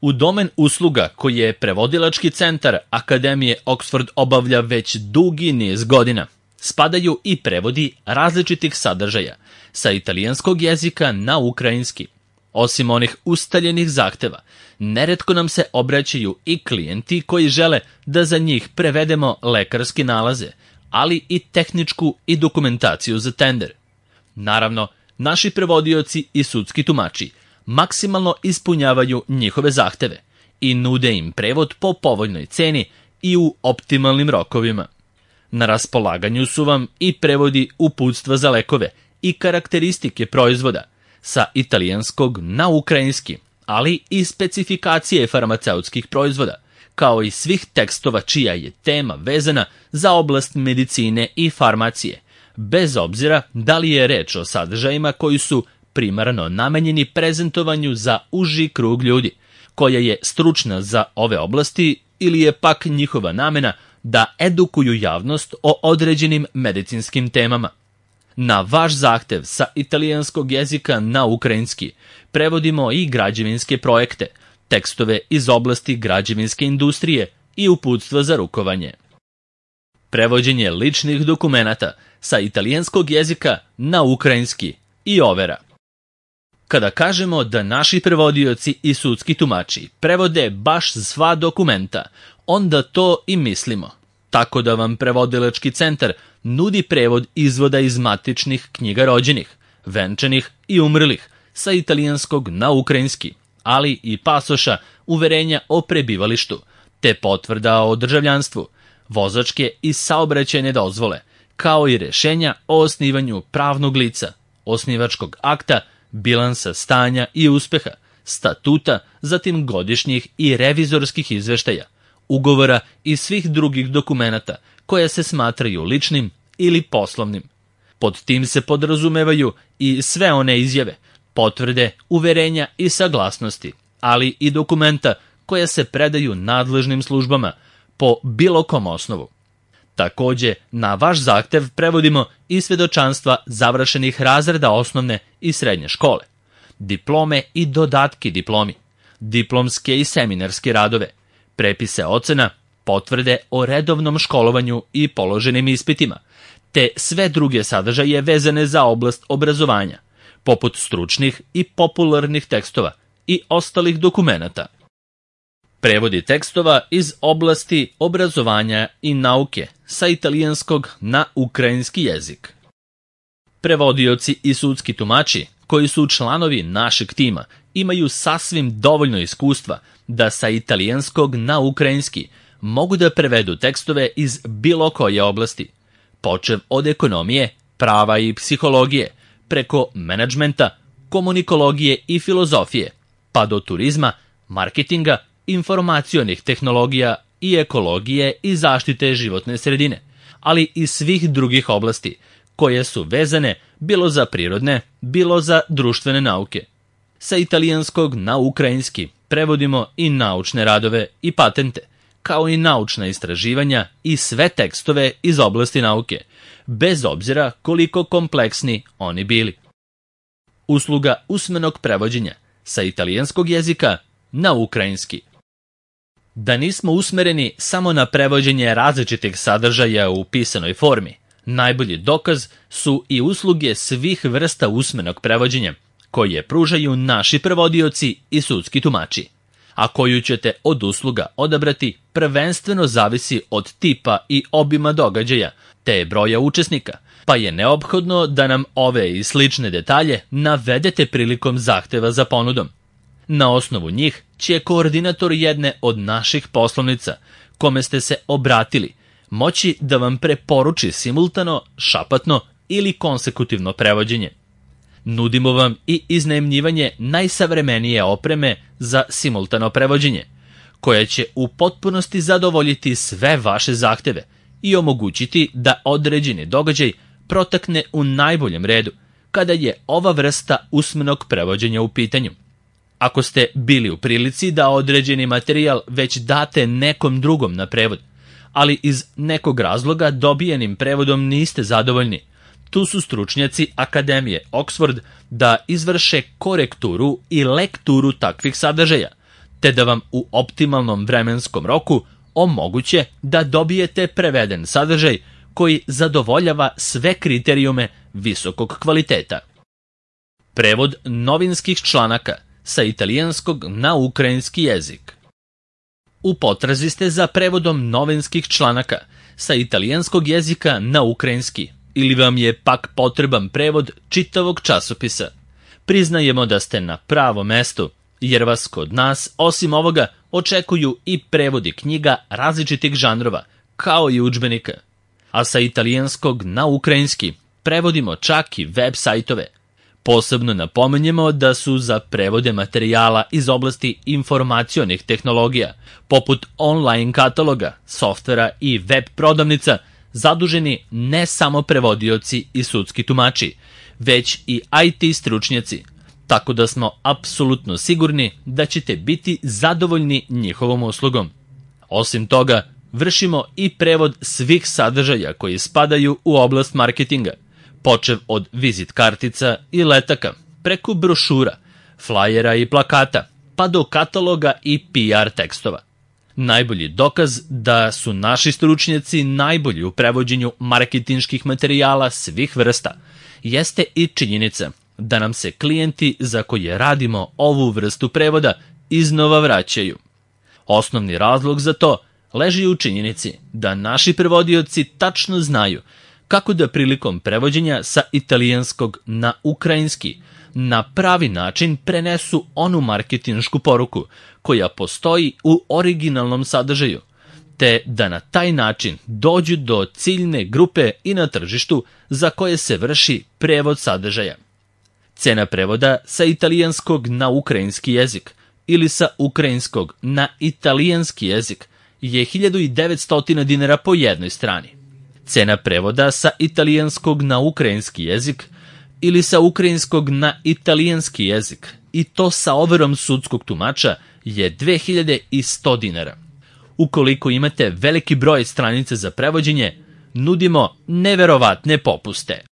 U domen usluga koji je prevodilački centar Akademije Oxford obavlja već dugi niz godina, spadaju i prevodi različitih sadržaja sa italijanskog jezika na ukrajinski. Osim onih ustaljenih zahteva, neretko nam se obraćaju i klijenti koji žele da za njih prevedemo lekarske nalaze, ali i tehničku i dokumentaciju za tender. Naravno, naši prevodioci i sudski tumači maksimalno ispunjavaju njihove zahteve i nude im prevod po povoljnoj ceni i u optimalnim rokovima. Na raspolaganju su vam i prevodi uputstva za lekove i karakteristike proizvoda sa italijanskog na ukrajinski, ali i specifikacije farmaceutskih proizvoda, kao i svih tekstova čija je tema vezana za oblast medicine i farmacije, bez obzira da li je reč o sadržajima koji su primarno namenjeni prezentovanju za uži krug ljudi, koja je stručna za ove oblasti, ili je pak njihova namena da edukuju javnost o određenim medicinskim temama. Na vaš zahtev sa italijanskog jezika na ukrajinski prevodimo i građevinske projekte, tekstove iz oblasti građevinske industrije i uputstva za rukovanje. Prevođenje ličnih dokumenata sa italijanskog jezika na ukrajinski i overa. Kada kažemo da naši prevodioci i sudski tumači prevode baš sva dokumenta, onda to i mislimo. Tako da vam prevodilački centar nudi prevod izvoda iz matičnih knjiga rođenih, venčanih i umrlih sa italijanskog na ukrajinski, ali i pasoša, uverenja o prebivalištu, te potvrda o državljanstvu, vozačke i saobraćajne dozvole, kao i rešenja o osnivanju pravnog lica, osnivačkog akta, bilansa stanja i uspeha, statuta, zatim godišnjih i revizorskih izveštaja, ugovora i svih drugih dokumenata koje se smatraju ličnim ili poslovnim. Pod tim se podrazumevaju i sve one izjave, potvrde, uverenja i saglasnosti, ali i dokumenta koja se predaju nadležnim službama po bilo kom osnovu. Takođe, na vaš zahtev prevodimo i svedočanstva završenih razreda osnovne i srednje škole, diplome i dodatki diplomi, diplomske i seminarske radove, prepise ocena, potvrde o redovnom školovanju i položenim ispitima, te sve druge sadržaje vezane za oblast obrazovanja, poput stručnih i popularnih tekstova i ostalih dokumenata. Prevodi tekstova iz oblasti obrazovanja i nauke sa italijanskog na ukrajinski jezik. Prevodioci i sudski tumači, koji su članovi našeg tima, imaju sasvim dovoljno iskustva da sa italijanskog na ukrajinski mogu da prevedu tekstove iz bilo koje oblasti, počev od ekonomije, prava i psihologije, preko menadžmenta, komunikologije i filozofije, pa do turizma, marketinga, informacionih tehnologija i ekologije i zaštite životne sredine, ali i svih drugih oblasti koje su vezane bilo za prirodne, bilo za društvene nauke. Sa italijanskog na ukrajinski prevodimo i naučne radove i patente, kao i naučna istraživanja i sve tekstove iz oblasti nauke, bez obzira koliko kompleksni oni bili. Usluga usmenog prevođenja sa italijanskog jezika na ukrajinski. Da nismo usmereni samo na prevođenje različitih sadržaja u pisanoj formi, najbolji dokaz su i usluge svih vrsta usmenog prevođenja, koje pružaju naši prevodioci i sudski tumači, a koju ćete od usluga odabrati prvenstveno zavisi od tipa i obima događaja, te broja učesnika, pa je neophodno da nam ove i slične detalje navedete prilikom zahteva za ponudom. Na osnovu njih će koordinator jedne od naših poslovnica, kome ste se obratili, moći da vam preporuči simultano, šapatno ili konsekutivno prevođenje. Nudimo vam i iznajmljivanje najsavremenije opreme za simultano prevođenje, koja će u potpunosti zadovoljiti sve vaše zahteve i omogućiti da određeni događaj protekne u najboljem redu, kada je ova vrsta usmenog prevođenja u pitanju. Ako ste bili u prilici da određeni materijal već date nekom drugom na prevod, ali iz nekog razloga dobijenim prevodom niste zadovoljni, tu su stručnjaci Akademije Oxford da izvrše korekturu i lekturu takvih sadržaja, te da vam u optimalnom vremenskom roku omoguće da dobijete preveden sadržaj koji zadovoljava sve kriterijume visokog kvaliteta. Prevod novinskih članaka sa italijanskog na ukrajinski jezik. U potrazi ste za prevodom novinskih članaka sa italijanskog jezika na ukrajinski ili vam je pak potreban prevod čitavog časopisa. Priznajemo da ste na pravom mestu, jer vas kod nas, osim ovoga, očekuju i prevodi knjiga različitih žanrova, kao i udžbenika. A sa italijanskog na ukrajinski prevodimo čak i web sajtove. Posebno napominjemo da su za prevode materijala iz oblasti informacionih tehnologija, poput online kataloga, softvera i web prodavnica, zaduženi ne samo prevodioci i sudski tumači, već i IT stručnjaci, tako da smo apsolutno sigurni da ćete biti zadovoljni njihovom uslugom. Osim toga, vršimo i prevod svih sadržaja koji spadaju u oblast marketinga, počev od vizit kartica i letaka, preko brošura, flajera i plakata, pa do kataloga i PR tekstova. Najbolji dokaz da su naši stručnjaci najbolji u prevođenju marketinških materijala svih vrsta jeste i činjenica da nam se klijenti za koje radimo ovu vrstu prevoda iznova vraćaju. Osnovni razlog za to leži u činjenici da naši prevodioci tačno znaju kako da prilikom prevođenja sa italijanskog na ukrajinski na pravi način prenesu onu marketinšku poruku koja postoji u originalnom sadržaju, te da na taj način dođu do ciljne grupe i na tržištu za koje se vrši prevod sadržaja. Cena prevoda sa italijanskog na ukrajinski jezik ili sa ukrajinskog na italijanski jezik je 1900 dinara po jednoj strani. Cena prevoda sa italijanskog na ukrajinski jezik ili sa ukrajinskog na italijanski jezik, i to sa overom sudskog tumača, je 2100 dinara. Ukoliko imate veliki broj stranica za prevođenje, nudimo neverovatne popuste.